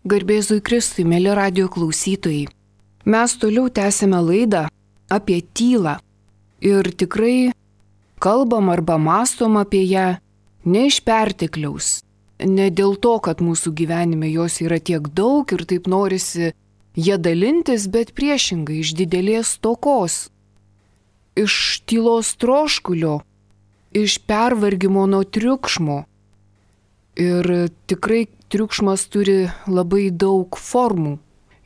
Garbėzui Kristui, mėly radio klausytojai. Mes toliau tęsime laidą apie tylą ir tikrai kalbam arba mąstom apie ją ne iš pertekliaus, ne dėl to, kad mūsų gyvenime jos yra tiek daug ir taip norisi jie dalintis, bet priešingai iš didelės stokos, iš tylos troškulio, iš pervargimo nuo triukšmo. Ir tikrai triukšmas turi labai daug formų.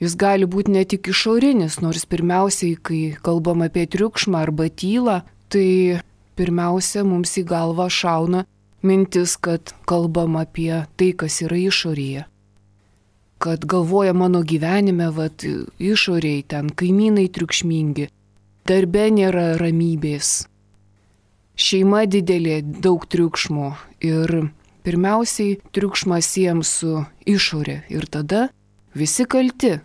Jis gali būti ne tik išorinis, nors pirmiausiai, kai kalbam apie triukšmą arba tylą, tai pirmiausia mums į galvą šauna mintis, kad kalbam apie tai, kas yra išorėje. Kad galvoja mano gyvenime, išoriai ten kaimynai triukšmingi, darbe nėra ramybės, šeima didelė, daug triukšmo ir pirmiausiai triukšmą siejam su išorė ir tada visi kalti,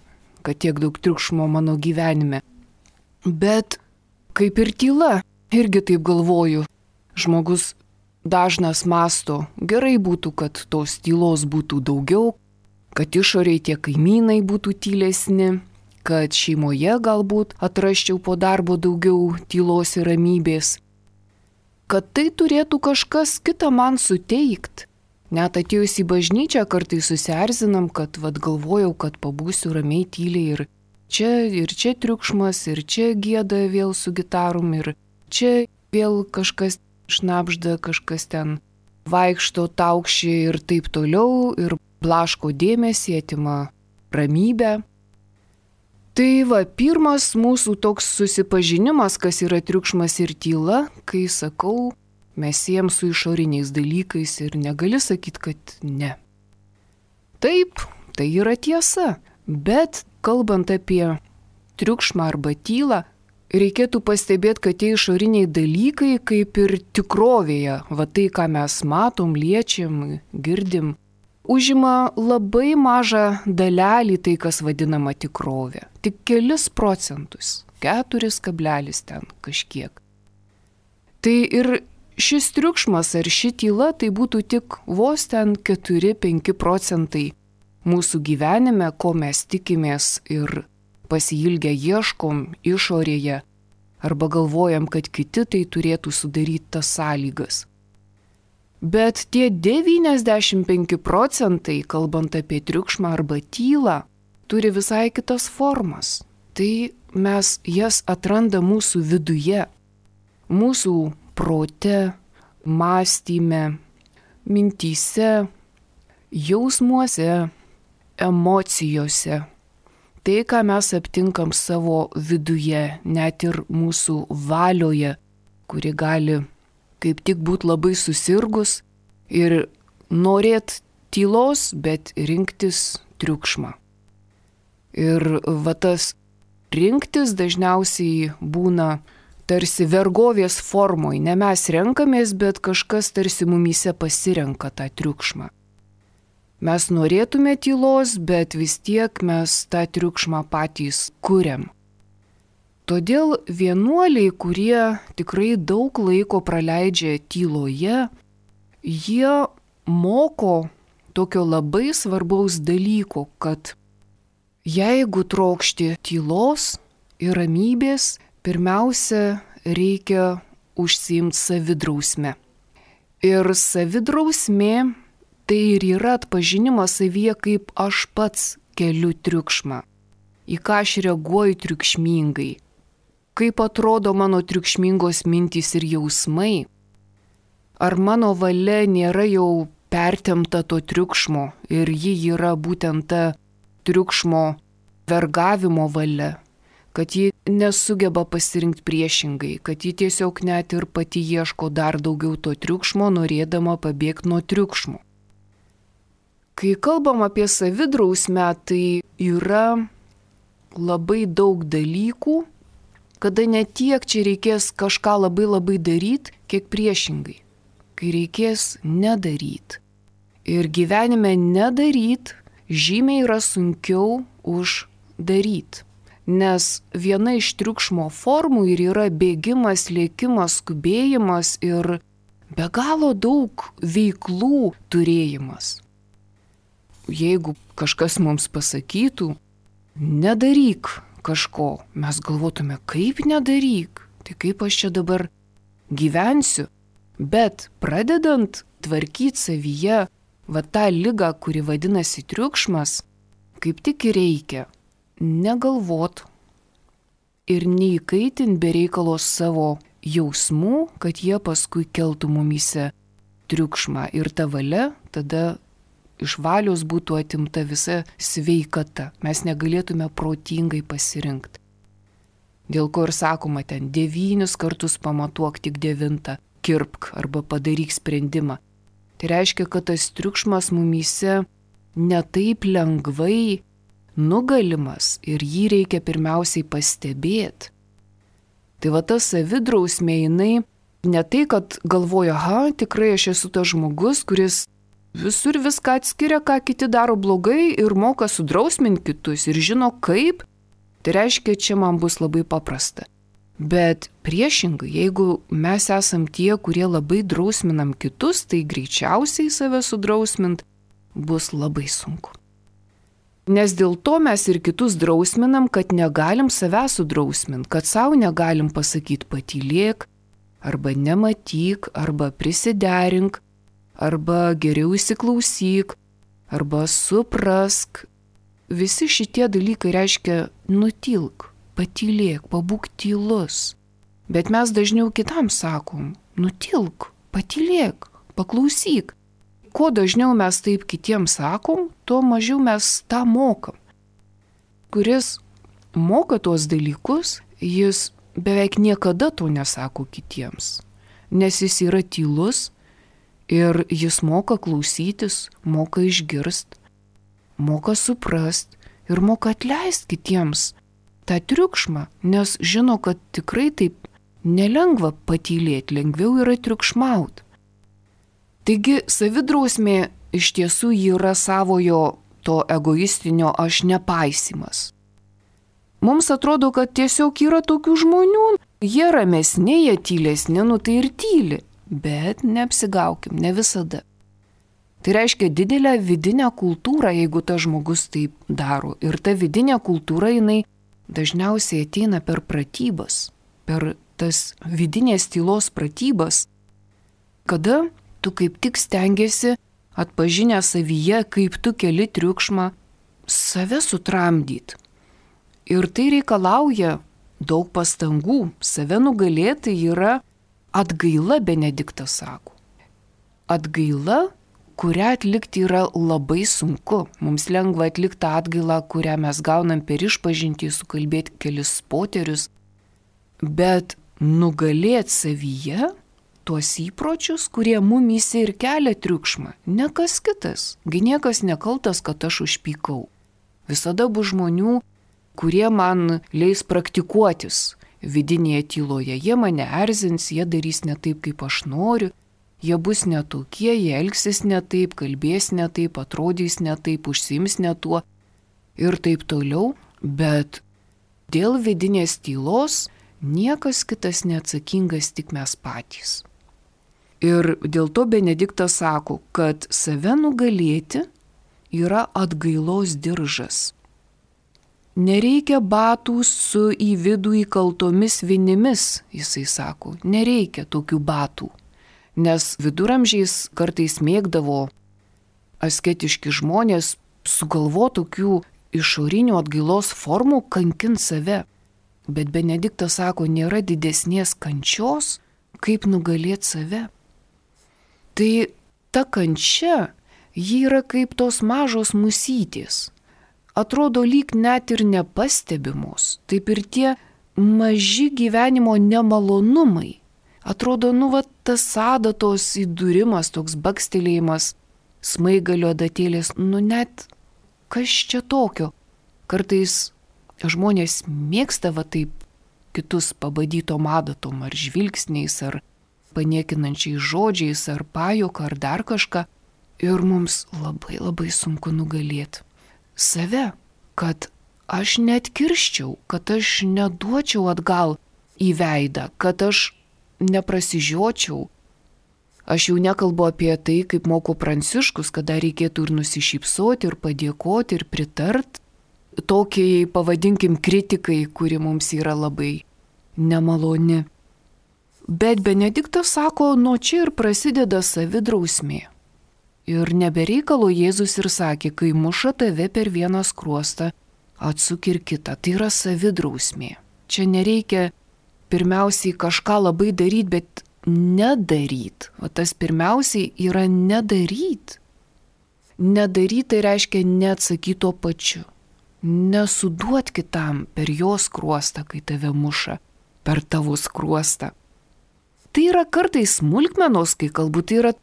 kad tiek daug triukšmo mano gyvenime. Bet kaip ir tyla, irgi taip galvoju, žmogus dažnas mąsto, gerai būtų, kad tos tylos būtų daugiau, kad išoriai tie kaimynai būtų tylesni, kad šeimoje galbūt atrasčiau po darbo daugiau tylos ir ramybės, kad tai turėtų kažkas kitą man suteikt. Net atėjus į bažnyčią kartais susierzinam, kad galvojau, kad pabūsiu ramiai tyliai ir čia triukšmas, ir čia gieda vėl su gitarom, ir čia vėl kažkas šnabžda, kažkas ten vaikšto, taukši ir taip toliau, ir blaško dėmesį, atima ramybę. Tai pirmas mūsų toks susipažinimas, kas yra triukšmas ir tyla, kai sakau, mes siejam su išoriniais dalykais ir negali sakyti, kad ne. Taip, tai yra tiesa, bet kalbant apie triukšmą arba tylą, reikėtų pastebėti, kad tie išoriniai dalykai kaip ir tikrovėje, tai ką mes matom, liečiam, girdim, užima labai mažą dalelį tai, kas vadinama tikrovė. Tik kelis procentus, 4 ten kažkiek. Tai ir šis triukšmas ar ši tyla tai būtų tik vos ten 4-5 procentai mūsų gyvenime, ko mes tikimės ir pasiilgę ieškom išorėje arba galvojam, kad kiti tai turėtų sudaryti tas sąlygas. Bet tie 95 procentai, kalbant apie triukšmą arba tylą, turi visai kitas formas. Tai mes jas atrandam mūsų viduje, mūsų prote, mąstyme, mintyse, jausmuose, emocijose. Tai, ką mes aptinkam savo viduje, net ir mūsų valioje, kuri gali kaip tik būti labai susirgus ir norėt tylos, bet rinktis triukšmą. Ir tas rinktis dažniausiai būna tarsi vergovės formoj, ne mes renkamės, bet kažkas tarsi mumyse pasirenka tą triukšmą. Mes norėtume tylos, bet vis tiek mes tą triukšmą patys kuriam. Todėl vienuoliai, kurie tikrai daug laiko praleidžia tyloje, jie moko tokio labai svarbaus dalyko, kad jeigu trokšti tylos ir ramybės, pirmiausia, reikia užsiimti savidrausme. Ir savidrausmė tai ir yra atpažinimas savyje, kaip aš pats keliu triukšmą, į ką aš reaguoju triukšmingai, kaip atrodo mano triukšmingos mintys ir jausmai, ar mano valia nėra jau pertempta to triukšmo ir ji yra būtent ta triukšmo vergavimo valia, kad ji nesugeba pasirinkti priešingai, kad ji tiesiog net ir pati ieško dar daugiau to triukšmo, norėdama pabėgti nuo triukšmo. Kai kalbam apie savidrausmę, tai yra labai daug dalykų, kada ne tiek čia reikės kažką labai daryti, kiek priešingai, kai reikės nedaryti. Ir gyvenime nedaryti žymiai yra sunkiau už daryti. Nes viena iš triukšmo formų ir yra bėgimas, lėkimas, skubėjimas ir be galo daug veiklų turėjimas. jeigu kažkas mums pasakytų, nedaryk kažko, mes galvotume, kaip nedaryk, tai kaip aš čia dabar gyvensiu. Bet pradedant tvarkyti savyje tą ligą, kuri vadinasi triukšmas, kaip tik ir reikia negalvot ir neįkaitinti be reikalos savo jausmų, kad jie paskui keltų mumyse triukšmą ir ta valia tada iš valios būtų atimta visa sveikata. Mes negalėtume protingai pasirinkti. Dėl ko ir sakoma ten 9 kartus pamatuok, tik 9 kirpk arba padaryk sprendimą. Tai reiškia, kad tas triukšmas mumyse netaip lengvai nugalimas ir jį reikia pirmiausiai pastebėti. Tai ta savidrausmė jinai ne tai, kad galvoja, tikrai aš esu tas žmogus, kuris visur viską atskiria, ką kiti daro blogai ir moka sudrausminti kitus ir žino kaip, tai reiškia, čia man bus labai paprasta. Bet priešingai, jeigu mes esam tie, kurie labai drausminam kitus, tai greičiausiai save sudrausmint bus labai sunku. Nes dėl to mes ir kitus drausminam, kad negalim save sudrausminti, kad savo negalim pasakyti patylėk, arba nematyk, arba prisiderink, arba geriau įsiklausyk, arba suprask. Visi šitie dalykai reiškia nutilk, patylėk, pabūk tylus. Bet mes dažniau kitam sakom, nutilk, patylėk, paklausyk. Kuo dažniau mes taip kitiems sakom, tuo mažiau mes tą mokam. Kuris moka tuos dalykus, jis beveik niekada to nesako kitiems, nes jis yra tylus ir jis moka klausytis, moka išgirst, moka suprast ir moka atleist kitiems tą triukšmą, nes žino, kad tikrai taip nelengva patylėti, lengviau yra triukšmauti. Taigi savidrausmė iš tiesų yra savojo to egoistinio aš nepaisymas. Mums atrodo, kad tiesiog yra tokių žmonių, jie ramesni, jie tylesni, tai ir tyli, bet neapsigaukim, ne visada. Tai reiškia didelę vidinę kultūrą, jeigu tas žmogus taip daro. Ir ta vidinė kultūra, jinai dažniausiai ateina per pratybas, per tas vidinės tylos pratybas, kada tu kaip tik stengiasi atpažinę savyje, kaip tu keli triukšmą, save sutramdyti. Ir tai reikalauja daug pastangų. Save nugalėti yra atgaila, Benediktas sako. Atgaila, kurią atlikti yra labai sunku. Mums lengva atlikti atgailą, kurią mes gaunam per išpažintį, sukalbėti kelis poterius. Bet nugalėti savyje tuos įpročius, kurie mumyse ir kelia triukšmą, ne kas kitas. Gi niekas nekaltas, kad aš užpykau. Visada bus žmonių, kurie man leis praktikuotis vidinėje tyloje. Jie mane erzins, jie darys ne taip, kaip aš noriu, jie bus netokie, jie elgsis ne taip, kalbės ne taip, atrodys ne taip, užsiims ne tuo ir taip toliau. Bet dėl vidinės tylos niekas kitas neatsakingas, tik mes patys. Ir dėl to Benediktas sako, kad save nugalėti yra atgailos diržas. Nereikia batų su į vidų įkaltomis vinimis, jisai sako, nereikia tokių batų. Nes viduramžiais kartais mėgdavo asketiški žmonės sugalvo tokių išorinių atgailos formų kankint save. Bet Benediktas sako, nėra didesnės kančios, kaip nugalėti save. Tai ta kančia, ji yra kaip tos mažos musytės. Atrodo lyg net ir nepastebimos. Taip ir tie maži gyvenimo nemalonumai. Atrodo, tas adatos įdūrimas, toks bakstelėjimas, smaigalio adatėlės, net kas čia tokio. Kartais žmonės mėgsta taip kitus pabadytom adatom, ar žvilgsniais, ar paniekinančiais žodžiais, ar pajuoka, ar dar kažką. Ir mums labai labai sunku nugalėti save, kad aš net kirščiau, kad aš neduočiau atgal į veidą, kad aš neprasižiočiau. Aš jau nekalbu apie tai, kaip moko Pranciškus, kada reikėtų ir nusišypsoti, ir padėkoti, ir pritart tokiai, pavadinkim, kritikai, kuri mums yra labai nemaloni. Bet Benediktas sako, nuo čia ir prasideda savidrausmė. Ir nebereikalo Jėzus ir sakė, kai muša tave per vieną skruostą, atsuk ir kitą. Tai yra savidrausmė. Čia nereikia pirmiausiai kažką labai daryti, bet nedaryt. O tas pirmiausiai yra nedaryt. Nedaryt tai reiškia neatsakyti tuo pačiu. Nesuduot kitam per jo skruostą, kai tave muša, per tavo skruostą. Tai yra kartais smulkmenos, kai galbūt tai yra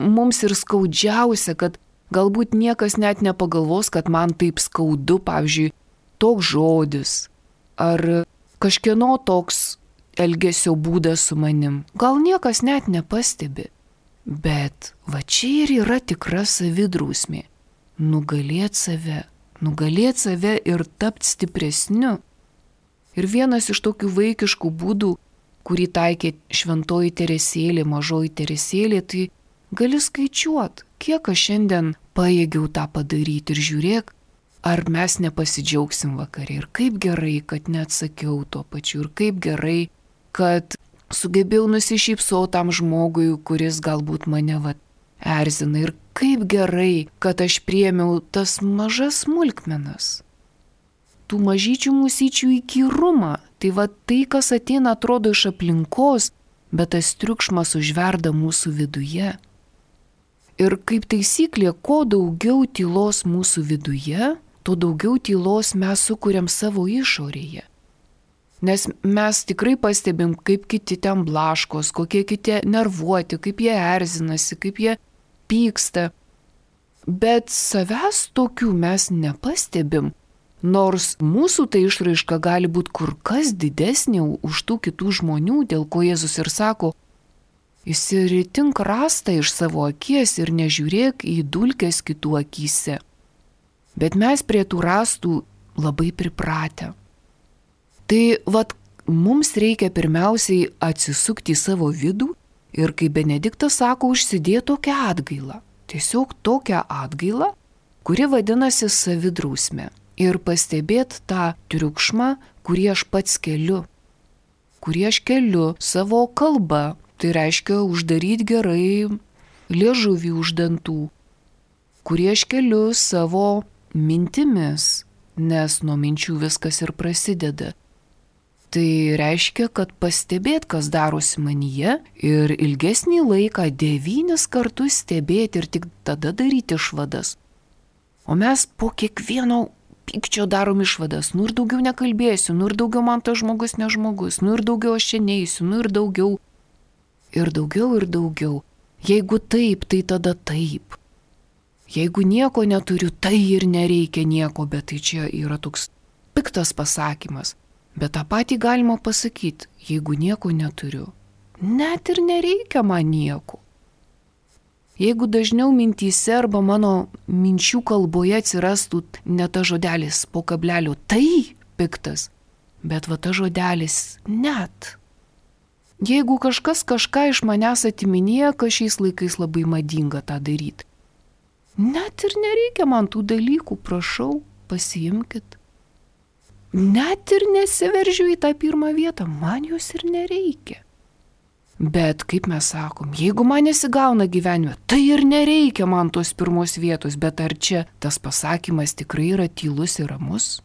mums ir skaudžiausia, kad galbūt niekas net nepagalvos, kad man taip skaudu, pavyzdžiui, toks žodis ar kažkieno toks elgesio būdas su manim. Gal niekas net nepastebi. Bet va čia ir yra tikra savidrausmė. Nugalėt save ir tapti stipresniu. Ir vienas iš tokių vaikiškų būdų, kurį taikė šventoji Teresėlė, mažoji Teresėlė, tai gali skaičiuot, kiek aš šiandien pajėgiau tą padaryti ir žiūrėk, ar mes nepasidžiaugsim vakarė. Ir kaip gerai, kad neatsakiau tuo pačiu. Ir kaip gerai, kad sugebėjau nusišypsoti tam žmogui, kuris galbūt mane erzina. Ir kaip gerai, kad aš priėmiau tas mažas smulkmenas. Tų mažyčių mūsyčių įkyrumą. Tai tai, kas ateina, atrodo iš aplinkos, bet tas triukšmas užverda mūsų viduje. Ir kaip taisyklė, kuo daugiau tylos mūsų viduje, tuo daugiau tylos mes sukuriam savo išorėje. Nes mes tikrai pastebim, kaip kiti ten blaškos, kokie kiti nervuoti, kaip jie erzinasi, kaip jie pyksta. Bet savęs tokių mes nepastebim, nors mūsų tai išraiška gali būti kur kas didesnė už tų kitų žmonių, dėl ko Jėzus ir sako, išsiritink rastą iš savo akies ir nežiūrėk į dulkes kitų akyse. Bet mes prie tų rastų labai pripratę. Tai mums reikia pirmiausiai atsisukti į savo vidų ir, kaip Benediktas sako, užsidėti tokią atgailą. Tiesiog tokią atgailą, kuri vadinasi savidrausmė. Ir pastebėti tą triukšmą, kurį aš pats keliu. Kurį aš keliu savo kalbą. Tai reiškia uždaryti gerai liežuvį už dantų. Kurį aš keliu savo mintimis, nes nuo minčių viskas ir prasideda. Tai reiškia, kad pastebėt, kas darosi manyje ir ilgesnį laiką 9 kartus stebėti ir tik tada daryti išvadas. O mes po kiekvieno pykčio darom išvadas. Ir daugiau nekalbėsiu, ir daugiau man tas žmogus ne žmogus, ir daugiau aš čia neisiu, ir daugiau. Ir daugiau, ir daugiau. Jeigu taip, tai tada taip. Jeigu nieko neturiu, tai ir nereikia nieko, bet tai čia yra toks piktas pasakymas. Bet tą patį galima pasakyti, jeigu nieko neturiu. Net ir nereikia man nieko. Jeigu dažniau mintyse arba mano minčių kalboje atsirastų ne ta žodelis po kablelio, tai piktas, bet ta žodelis net. Jeigu kažkas kažką iš manęs atiminėja, kas šiais laikais labai madinga tą daryti. Net ir nereikia man tų dalykų, prašau, pasiimkit. Net ir nesiveržiu į tą pirmą vietą, man jos ir nereikia. Bet, kaip mes sakom, jeigu man nesigauna gyvenime, tai ir nereikia man tos pirmos vietos, bet ar čia tas pasakymas tikrai yra tylus ir ramus?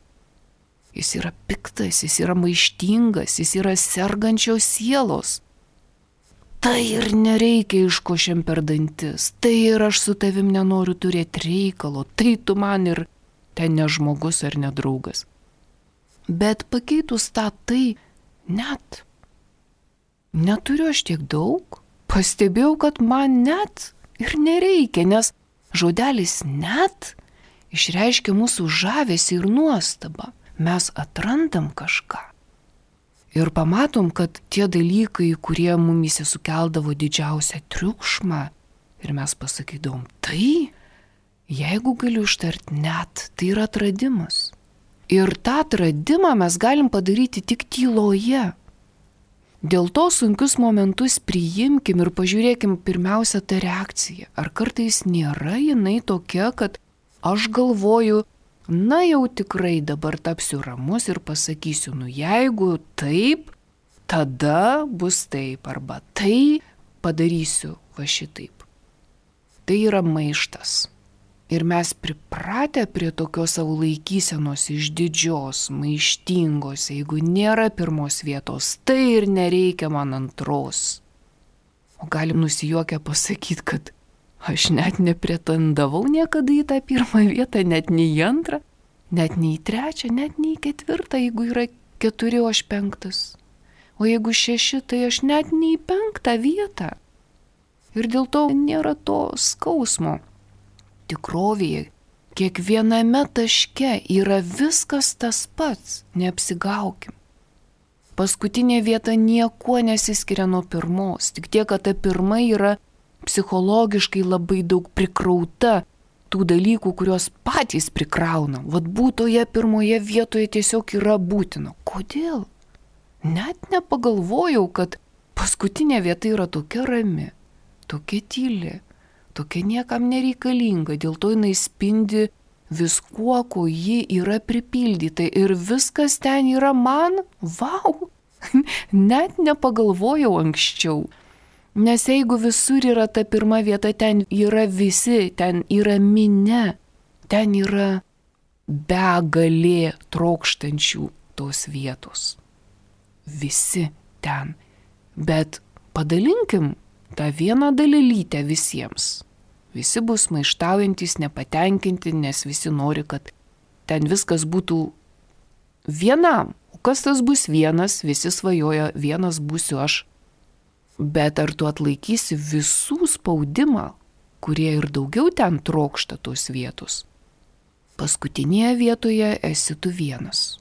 Jis yra piktas, jis yra maištingas, jis yra sergančios sielos. Tai ir nereikia iškošiam per dantis, tai ir aš su tavim nenoriu turėti reikalo, tai tu man ir ten ne žmogus ar ne draugas. Bet pakeitus tą tai net. Neturiu aš tiek daug, pastebėjau, kad man net ir nereikia, nes žodelis net išreiškia mūsų žavesį ir nuostabą. Mes atrandam kažką. Ir pamatom, kad tie dalykai, kurie mumyse sukeldavo didžiausią triukšmą, ir mes pasakydom, tai, jeigu galiu ištart net, tai yra atradimas. Ir tą atradimą mes galim padaryti tik tyloje. Dėl to sunkius momentus priimkim ir pažiūrėkim pirmiausia tą reakciją. Ar kartais nėra jinai tokia, kad aš galvoju, na jau tikrai dabar tapsiu ramus ir pasakysiu, jeigu taip, tada bus taip, arba tai padarysiu va šitaip. Tai yra maištas. Ir mes pripratę prie tokios savo laikysenos išdidžios, maištingos, jeigu nėra pirmos vietos, tai ir nereikia man antros. O galim nusijuokę pasakyti, kad aš net nepretendavau niekada į tą pirmą vietą, net nei į antrą, net nei į trečią, net nei į ketvirtą, jeigu yra 4, o aš 5. O jeigu 6, tai aš net nei į 5 vietą. Ir dėl to nėra to skausmo. Tikrovėje, kiekviename taške yra viskas tas pats, neapsigaukim. Paskutinė vieta niekuo nesiskiria nuo pirmos, tik tiek, kad ta pirma yra psichologiškai labai daug prikrauta tų dalykų, kuriuos patys prikraunam. Vat būtoje pirmoje vietoje tiesiog yra būtina. Kodėl? Net nepagalvojau, kad paskutinė vieta yra tokia rami, tokia tyli, tokia niekam nereikalinga, dėl to jinai spindi viskuo, ko ji yra pripildyta ir viskas ten yra man, vau, net nepagalvojau anksčiau. Nes jeigu visur yra ta pirma vieta, ten yra visi, ten yra minia, ten yra begalė trokštančių tos vietos. Visi ten. Bet padalinkim tą vieną dalelytę visiems. Visi bus maištaujantis, nepatenkinti, nes visi nori, kad ten viskas būtų vienam. O kas tas bus vienas, visi svajoja, vienas būsiu aš. Bet ar tu atlaikysi visų spaudimą, kurie ir daugiau ten trokšta tos vietos? Paskutinėje vietoje esi tu vienas.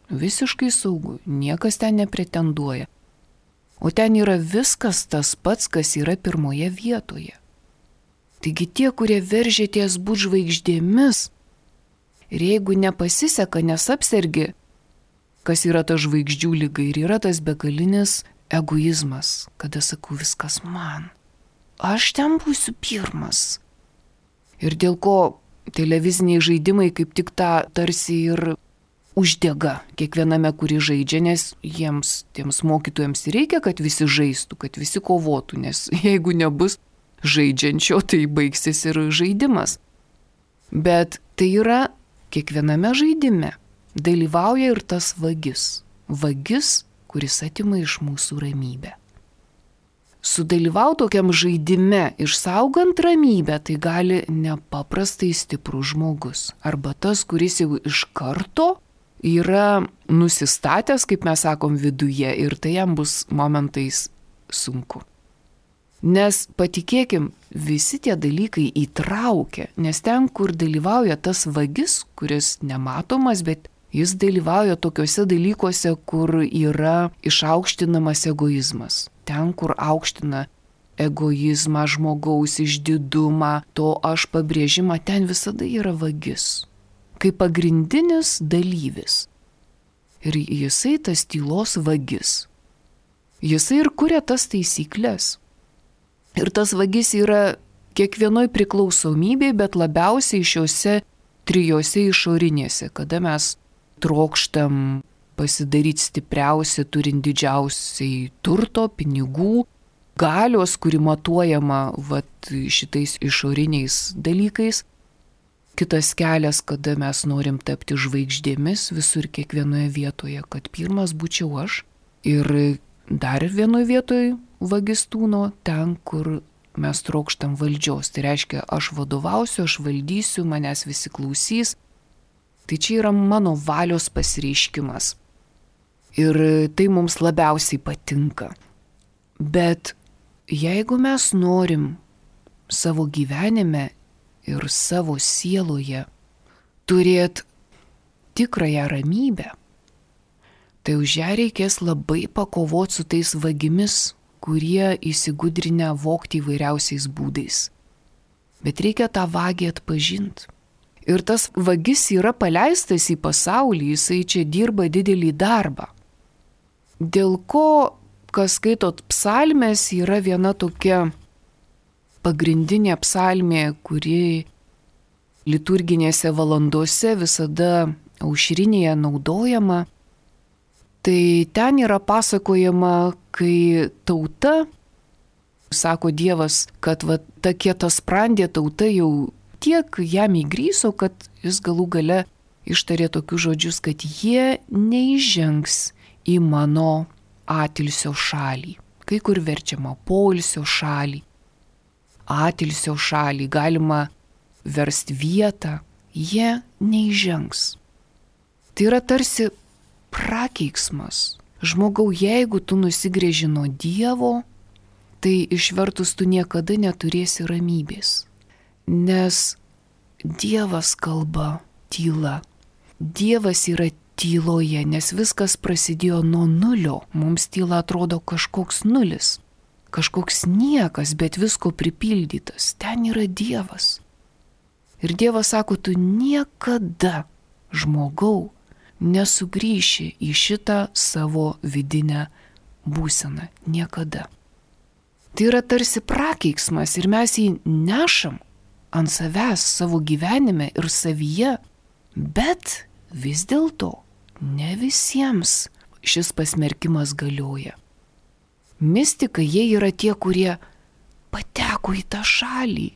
Visiškai saugu, niekas ten nepretenduoja. O ten yra viskas tas pats, kas yra pirmoje vietoje. Taigi tie, kurie veržėties būt žvaigždėmis, ir jeigu nepasiseka, nesapsergi, kas yra ta žvaigždžių lyga, ir yra tas begalinis egoizmas, kada sakau viskas man. Aš ten būsiu pirmas. Ir dėl ko televiziniai žaidimai kaip tik tą tarsi ir uždega kiekviename, kurį žaidžia, nes jiems, tiems mokytojams reikia, kad visi žaistų, kad visi kovotų, nes jeigu nebus žaidžiančio, tai baigsis ir žaidimas. Bet tai yra kiekviename žaidime dalyvauja ir tas vagis. Vagis, kuris atima iš mūsų ramybę. Sudalyvauti tokiam žaidime, išsaugant ramybę, tai gali nepaprastai stiprus žmogus. Arba tas, kuris jau iš karto yra nusistatęs, kaip mes sakom, viduje ir tai jam bus momentais sunku. Nes patikėkim, visi tie dalykai įtraukia, nes ten, kur dalyvauja tas vagis, kuris nematomas, bet jis dalyvauja tokiuose dalykuose, kur yra išaukštinamas egoizmas. Ten, kur aukština egoizmą, žmogaus išdidumą, to aš pabrėžimą, ten visada yra vagis. Kaip pagrindinis dalyvis. Ir jisai tas tylos vagis. Jisai ir kuria tas taisyklės. Ir tas vagis yra kiekvienoj priklausomybėje, bet labiausiai šiuose 3 išorinėse, kada mes trokštam pasidaryti stipriausi, turint didžiausiai turto, pinigų, galios, kuri matuojama šitais išoriniais dalykais. Kitas kelias, kada mes norim tapti žvaigždėmis visur kiekvienoje vietoje, kad pirmas būčiau aš. Ir dar vienoje vietoje vagis tūno ten, kur mes trokštam valdžios. Tai reiškia, aš vadovausiu, aš valdysiu, manęs visi klausys. Tai čia yra mano valios pasireiškimas. Ir tai mums labiausiai patinka. Bet jeigu mes norim savo gyvenime ir savo sieloje turėti tikrąją ramybę, tai už ją reikės labai pakovoti su tais vagimis, kurie įsigudrinę vogti įvairiausiais būdais. Bet reikia tą vagį atpažinti. Ir tas vagis yra paleistas į pasaulį, jisai čia dirba didelį darbą. Dėl ko kas skaitot psalmės, yra viena tokia pagrindinė psalmė, kuri liturginėse valandose visada aušrinėje naudojama. Tai ten yra pasakojama, kai tauta, sako Dievas, kad ta kietasprandė tauta jau tiek jam įgryso, kad jis galų gale ištarė tokius žodžius, kad jie neižengs į mano atilsio šalį. Kai kur verčiama poilsio šalį, atilsio šalį, galima versti vietą, jie neižengs. Tai yra tarsi prakeiksmas. Žmogau, jeigu tu nusigrėži nuo Dievo, tai išvertus tu niekada neturėsi ramybės. Nes Dievas kalba tyla. Dievas yra tyloje, nes viskas prasidėjo nuo nulio. Mums tyla atrodo kažkoks nulis, kažkoks niekas, bet visko pripildytas. Ten yra Dievas. Ir Dievas sako, tu niekada, žmogau, nesugrįši į šitą savo vidinę būseną. Niekada. Tai yra tarsi prakeiksmas ir mes jį nešam ant savęs savo gyvenime ir savyje, bet vis dėlto ne visiems šis pasmerkimas galioja. Mistikai jie yra tie, kurie pateko į tą šalį,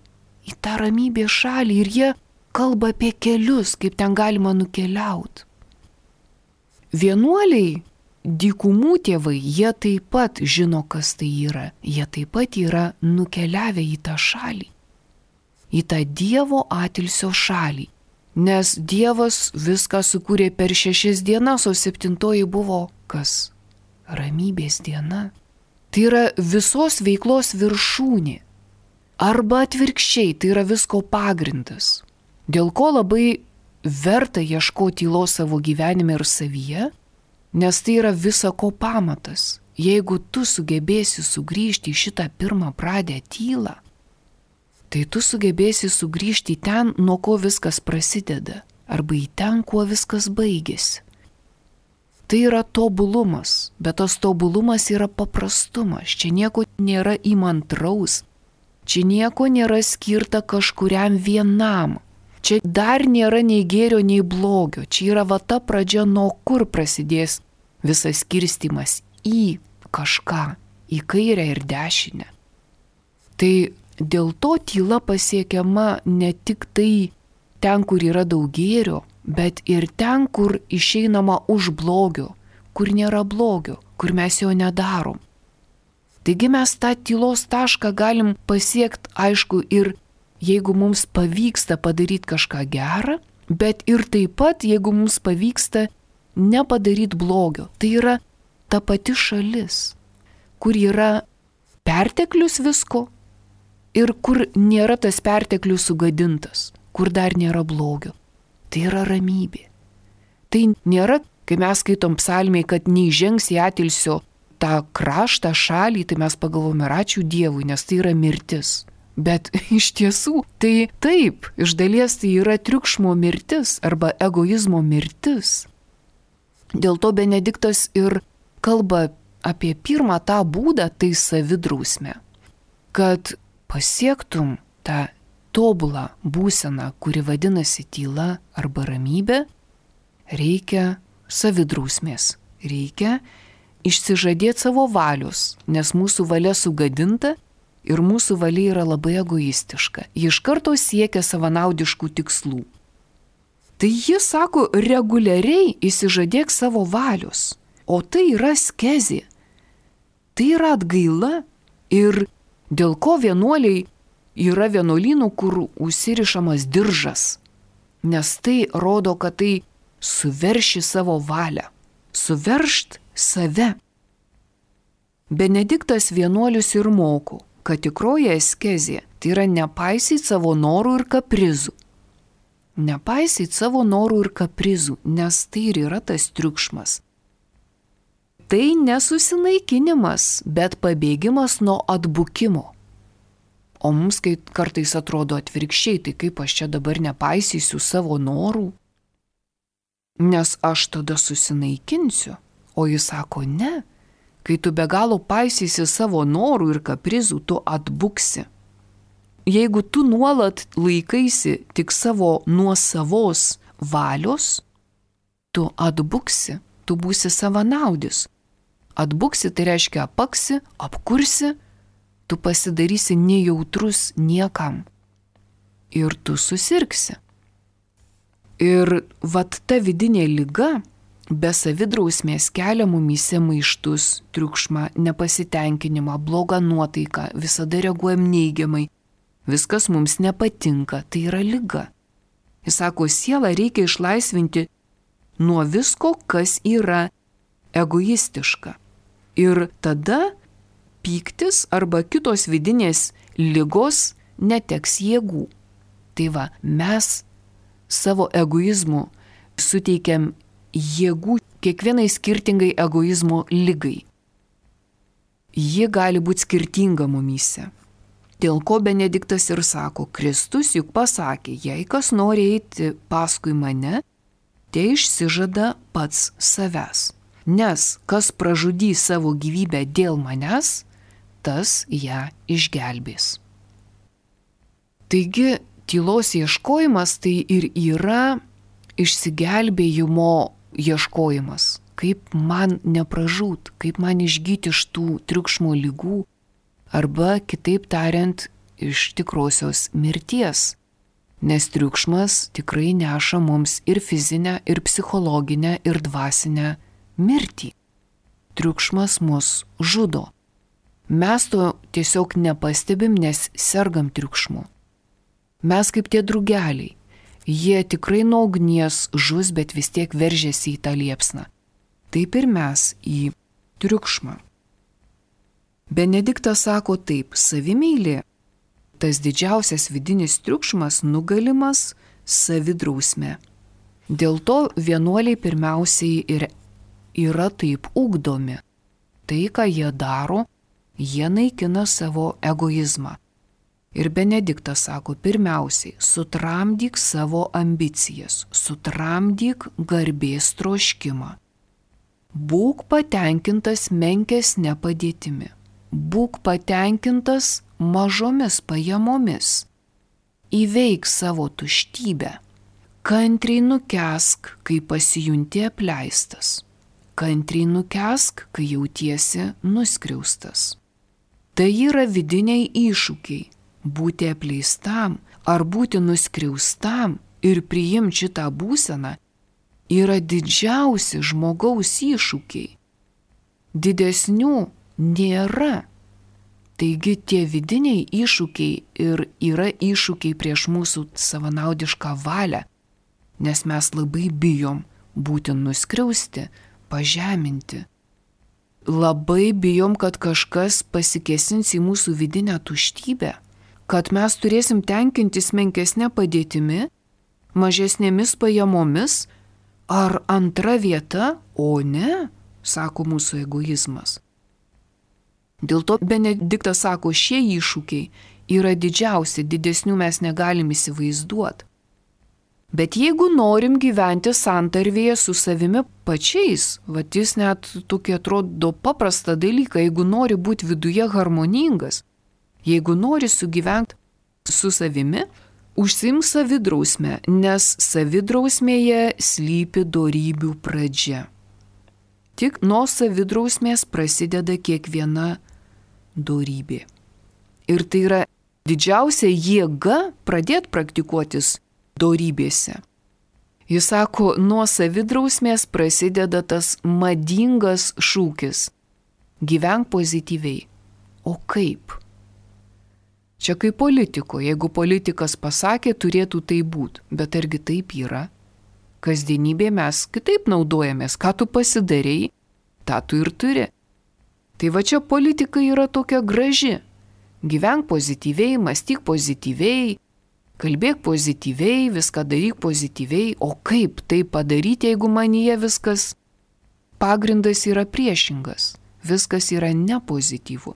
į tą ramybės šalį ir jie kalba apie kelius, kaip ten galima nukeliauti. Vienuoliai, dykumų tėvai, jie taip pat žino, kas tai yra. Jie taip pat yra nukeliavę į tą šalį, į tą Dievo atilsio šalį. Nes Dievas viską sukūrė per 6 dienas, o 7 buvo kas? Ramybės diena. Tai yra visos veiklos viršūnė. Arba atvirkščiai, tai yra visko pagrindas. Dėl ko labai verta ieškoti tylos savo gyvenime ir savyje, nes tai yra visa ko pamatas. Jeigu tu sugebėsi sugrįžti į šitą pirmą pradę tylą, tai tu sugebėsi sugrįžti į ten, nuo ko viskas prasideda, arba į ten, kuo viskas baigėsi. Tai yra tobulumas, bet tas tobulumas yra paprastumas. Čia nieko nėra įmantraus, čia nieko nėra skirta kažkuriam vienam. Čia dar nėra nei gėrio, nei blogio. Čia yra va ta pradžia, nuo kur prasidės visas skirstimas į kažką, į kairę ir dešinę. Tai dėl to tyla pasiekiama ne tik tai ten, kur yra daug gėrio, bet ir ten, kur išeinama už blogio, kur nėra blogio, kur mes jo nedarom. Taigi mes tą tylos tašką galim pasiekti, aišku, ir jeigu mums pavyksta padaryti kažką gerą, bet ir taip pat, jeigu mums pavyksta nepadaryti blogio. Tai yra ta pati šalis, kur yra perteklius visko ir kur nėra tas perteklius sugadintas, kur dar nėra blogio. Tai yra ramybė. Tai nėra, kai mes skaitom psalmėj, kad neįžengs į atilsio tą kraštą, šalį, tai mes pagalvome ir ačiū Dievui, nes tai yra mirtis. Bet iš tiesų, tai taip, iš dalies tai yra triukšmo mirtis arba egoizmo mirtis. Dėl to Benediktas ir kalba apie pirmą tą būdą, tai savidrausmę. Kad pasiektum tą tobulą būseną, kuri vadinasi tyla arba ramybė, reikia savidrausmės. Reikia išsižadėti savo valios, nes mūsų valia sugadinta ir mūsų valia yra labai egoistiška. Ji iš karto siekia savanaudiškų tikslų. Tai jis sako, reguliariai išsižadėk savo valios, o tai yra skezė. Tai yra atgaila ir dėl ko vienuoliai yra vienuolynų, kur užsirišamas diržas, nes tai rodo, kad tai suverši savo valią, suveršt save. Benediktas vienuolius ir moko, kad tikroji askezė tai yra nepaisyti savo norų ir kaprizų. Nepaisyti savo norų ir kaprizų, nes tai ir yra tas triukšmas. Tai nesusinaikinimas, bet pabėgimas nuo atbukimo. O mums kartais atrodo atvirkščiai, tai kaip aš čia dabar nepaisysiu savo norų, nes aš tada susinaikinsiu. O jis sako, ne, Kai tu be galo paisysi savo norų ir kaprizų, tu atbuksi. Jeigu tu nuolat laikaisi tik savo nuosavos valios, tu atbuksi, tu būsi savanaudis. Atbuksi tai reiškia apaksi, apkursi, tu pasidarysi nejautrus niekam ir tu susirgsi. Ir vat ta vidinė liga be savidrausmės kelia mumyse maištus, triukšmą, nepasitenkinimą, blogą nuotaiką, visada reaguojam neigiamai, viskas mums nepatinka, tai yra liga. Jis sako, sielą reikia išlaisvinti nuo visko, kas yra egoistiška. Ir tada pyktis arba kitos vidinės ligos neteks jėgų. Tai va, mes savo egoizmu suteikiam jėgų kiekvienai skirtingai egoizmo ligai. Ji gali būti skirtinga mumyse. Dėl ko Benediktas ir sako, Kristus juk pasakė, jei kas nori eiti paskui mane, tai išsižada pats savęs. Nes kas pražudys savo gyvybę dėl manęs, tas ją išgelbės. Taigi, tylos ieškojimas tai ir yra išsigelbėjimo ieškojimas. Kaip man nepražūt, kaip man išgyti iš tų triukšmo ligų, arba kitaip tariant, iš tikrosios mirties. Nes triukšmas tikrai neša mums ir fizinę, ir psichologinę, ir dvasinę mirtį. Triukšmas mus žudo. Mes to tiesiog nepastebim, nes sergam triukšmu. Mes kaip tie drugeliai. Jie tikrai nuo ugnies žus, bet vis tiek veržiasi į tą liepsną. Taip ir mes į triukšmą. Benediktas sako taip, savimeilė, tas didžiausias vidinis triukšmas nugalimas savidrausme. Dėl to vienuoliai pirmiausiai ir yra taip ugdomi. Tai, ką jie daro, jie naikina savo egoizmą. Ir Benediktas sako, pirmiausiai, sutramdyk savo ambicijas, sutramdyk garbės troškimą. Būk patenkintas menkesne padėtimi. Būk patenkintas mažomis pajamomis. Įveik savo tuštybę. Kantriai nukęsk, kai pasijunti apleistas. Kantriai nukęsk, kai jautiesi nuskriaustas. Tai yra vidiniai iššūkiai. Būti apleistam ar būti nuskriaustam ir priimti šitą būseną yra didžiausi žmogaus iššūkiai. Didesnių nėra. Taigi tie vidiniai iššūkiai ir yra iššūkiai prieš mūsų savanaudišką valią, nes mes labai bijom būti nuskriausti, pažeminti. Labai bijom, kad kažkas pasikėsins į mūsų vidinę tuštybę, kad mes turėsim tenkintis menkesnė padėtimi, mažesnėmis pajamomis, ar antra vieta, o ne, sako mūsų egoizmas. Dėl to Benediktas sako, šie iššūkiai yra didžiausi, didesnių mes negalim įsivaizduoti. Bet jeigu norim gyventi santarvėje su savimi pačiais, vat jis net tokia atrodo paprasta dalyka, jeigu nori būti viduje harmoningas, jeigu nori sugyventi su savimi, užsiimk savidrausmę, nes savidrausmėje slypi dorybių pradžia. Tik nuo savidrausmės prasideda kiekviena dorybė. Ir tai yra didžiausia jėga pradėti praktikuotis dorybėse. Jis sako, nuo savidrausmės prasideda tas madingas šūkis – gyvenk pozityviai. O kaip? Čia kaip politiko, jeigu politikas pasakė, turėtų tai būti, bet argi taip yra? Kasdienybėje mes kitaip naudojamės, ką tu pasidarei, tą tu ir turi. Tai va čia politika yra tokia graži. Gyvenk pozityviai, mąstyk pozityviai, kalbėk pozityviai, viską daryk pozityviai, o kaip tai padaryti, jeigu manyje viskas pagrindas yra priešingas, viskas yra nepozityvu.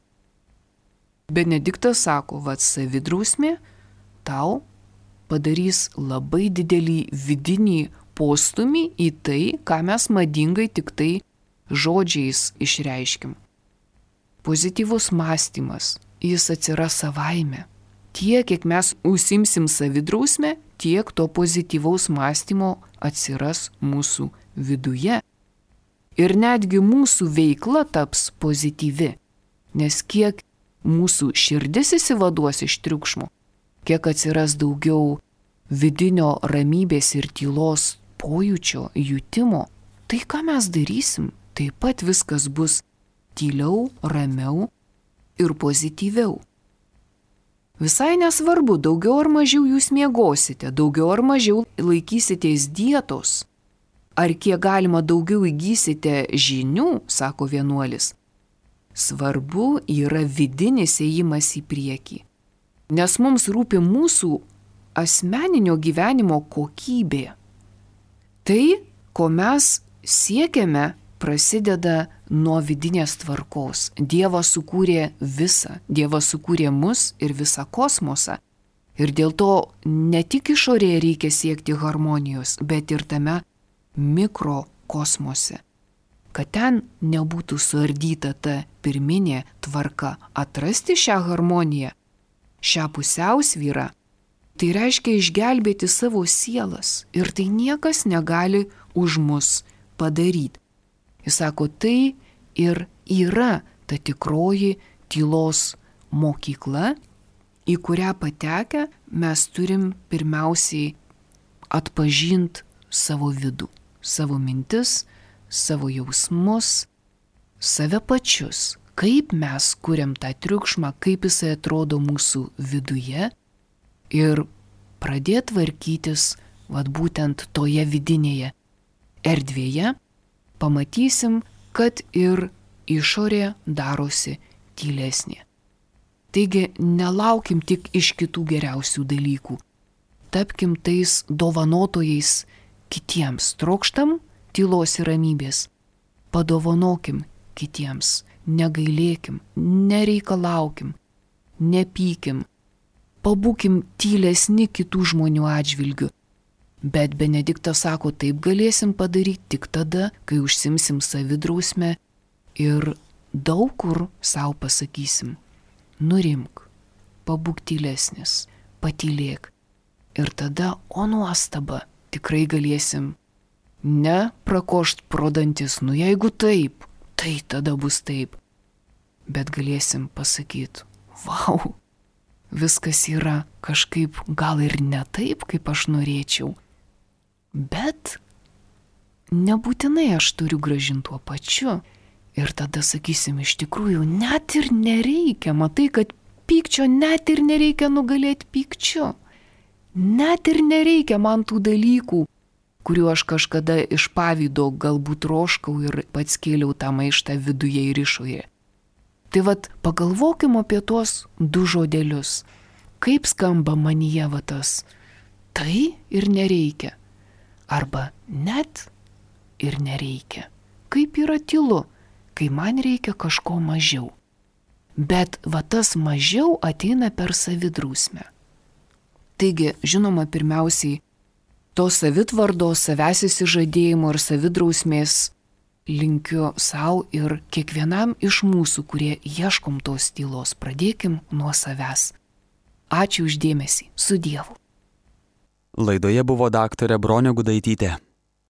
Benediktas sako, vat savidrausmė tau padarys labai didelį vidinį postumį į tai, ką mes madingai tik tai žodžiais išreiškim. pozityvus mąstymas, jis atsiras savaime. Tiek, kiek mes užsimsim savidrausmę, tiek to pozityvaus mąstymo atsiras mūsų viduje. Ir netgi mūsų veikla taps pozityvi, nes kiek mūsų širdis įsivaduos iš triukšmo, kiek atsiras daugiau vidinio ramybės ir tylos pojūčio, jutimo, tai ką mes darysim, taip pat viskas bus tyliau, ramiau ir pozityviau. Visai nesvarbu, daugiau ar mažiau jūs miegosite, daugiau ar mažiau laikysitės dietos, ar kiek galima daugiau įgysite žinių, sako vienuolis. Svarbu yra vidinis ėjimas į priekį, nes mums rūpi mūsų asmeninio gyvenimo kokybė. Tai, ko mes siekiame, prasideda nuo vidinės tvarkos. Dievas sukūrė visą, Dievas sukūrė mus ir visą kosmosą. Ir dėl to ne tik išorėje reikia siekti harmonijos, bet ir tame mikrokosmose. Kad ten nebūtų suardyta ta pirminė tvarka, atrasti šią harmoniją, šią pusiausvyrą, tai reiškia išgelbėti savo sielas ir tai niekas negali už mus padaryti. Jis sako, tai ir yra ta tikroji tylos mokykla, į kurią patekę mes turim pirmiausiai atpažinti savo vidų, savo mintis, savo jausmus, save pačius, kaip mes kuriam tą triukšmą, kaip jisai atrodo mūsų viduje ir pradėti tvarkytis būtent toje vidinėje erdvėje, pamatysim, kad ir išorė darosi tylesnė. Taigi nelaukim tik iš kitų geriausių dalykų. Tapkim tais dovanotojais kitiems. Trokštam tylos ir ramybės. Padovanokim kitiems. Negailėkim, nereikalaukim, nepykim. Pabūkim tylesni kitų žmonių atžvilgių. Bet Benediktas sako, taip galėsim padaryti tik tada, kai užsimsim savidrausmę ir daug kur savo pasakysim, nurimk, pabūk tylesnis, patylėk. Ir tada, o nuostaba, tikrai galėsim ne prakošt pro dantis, jeigu taip, tai tada bus taip. Bet galėsim pasakyti, vau, viskas yra kažkaip gal ir ne taip, kaip aš norėčiau. Bet nebūtinai aš turiu grąžinti tuo pačiu. Ir tada sakysim, iš tikrųjų, net ir nereikia, matai, kad pykčio net ir nereikia nugalėti pykčiu. Net ir nereikia man tų dalykų, kuriuo aš kažkada iš pavydo galbūt troškau ir pats kėliau tą maištą viduje ir išorėje. Tai pagalvokim apie tuos du žodelius. Kaip skamba manyje tas tai ir nereikia. Arba net ir nereikia. Kaip yra tylu, kai man reikia kažko mažiau. Bet tas mažiau ateina per savidrausmę. Taigi, žinoma, pirmiausiai, to savitvardos, savęs įsižadėjimo ir savidrausmės linkiu savo ir kiekvienam iš mūsų, kurie ieškom tos tylos. Pradėkim nuo savęs. Ačiū už dėmesį. Su Dievu. Laidoje buvo daktarė Bronė Gudaitytė.